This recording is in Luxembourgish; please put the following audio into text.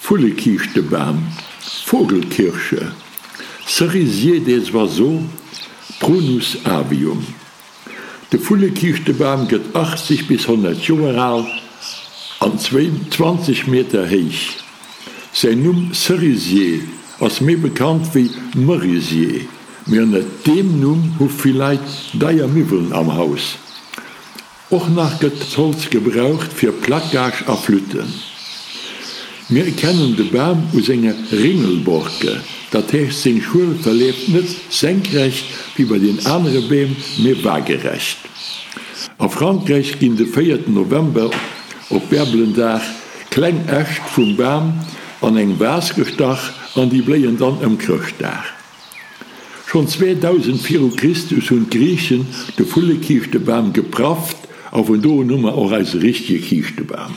Vullekiischtebam, Vogelkirsche, Cerisier des oiseaux, Prunus avium. De Vullekiischtebam gëtt 80 bis 100 Joer al an 20 Meter héich. Säin Numm Cerisier ass méi bekannt wéi Merisier, mee ënnert deem Numm hu vill Leit deier Miwwelen am Haus. Och nach gëtt d'Holz gebraucht fir Plaquage a Flütten. Mir erkennen de Bam u senger Ringelborke, dat heescht seng Schuel verleeft net senkrecht wéi bei den anere Beem, mee waagerecht. A Frankräich ginn de véierten November op Bärbelendag kleng Äscht vum Bam an eng Vas gestach an déi bléien dann ëm Chrëschtdag. Schonn 2000 viru Christus hunn d'Griichen de Vullekiischtebam geprafft a vun do un hu mer och eise richtege Kiischtebam.